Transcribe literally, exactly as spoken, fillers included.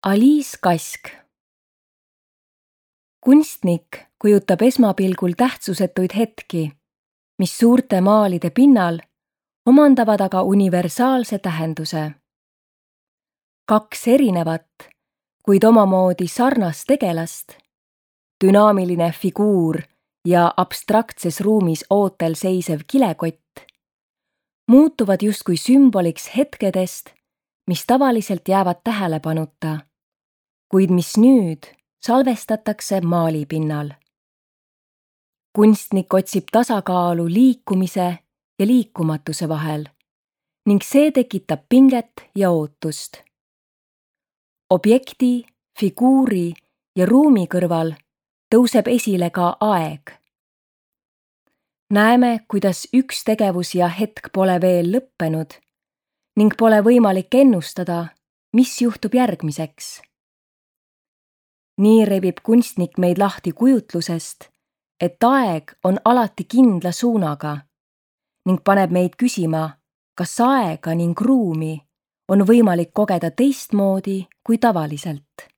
Alice Kask. Kunstnik kujutab esmapilgul tähtsusetuid hetki, mis suurte maalide pinnal omandavad aga universaalse tähenduse. Kaks erinevat, kuid omamoodi sarnast tegelast, dünaamiline figuur ja abstraktses ruumis ootel seisev kilekott, muutuvad justkui sümboliks hetkedest, mis tavaliselt jäävad tähelepanuta, kuid mis nüüd salvestatakse maalipinnal. Kunstnik otsib tasakaalu liikumise ja liikumatuse vahel ning see tekitab pinget ja ootust. Objekti, figuuri ja ruumi kõrval tõuseb esile ka aeg. Näeme, kuidas üks tegevus ja hetk pole veel lõppenud ning pole võimalik ennustada, mis juhtub järgmiseks. Nii rebib kunstnik meid lahti kujutlusest, et aeg on alati kindla suunaga ning paneb meid küsima, kas aega ning ruumi on võimalik kogeda teistmoodi kui tavaliselt.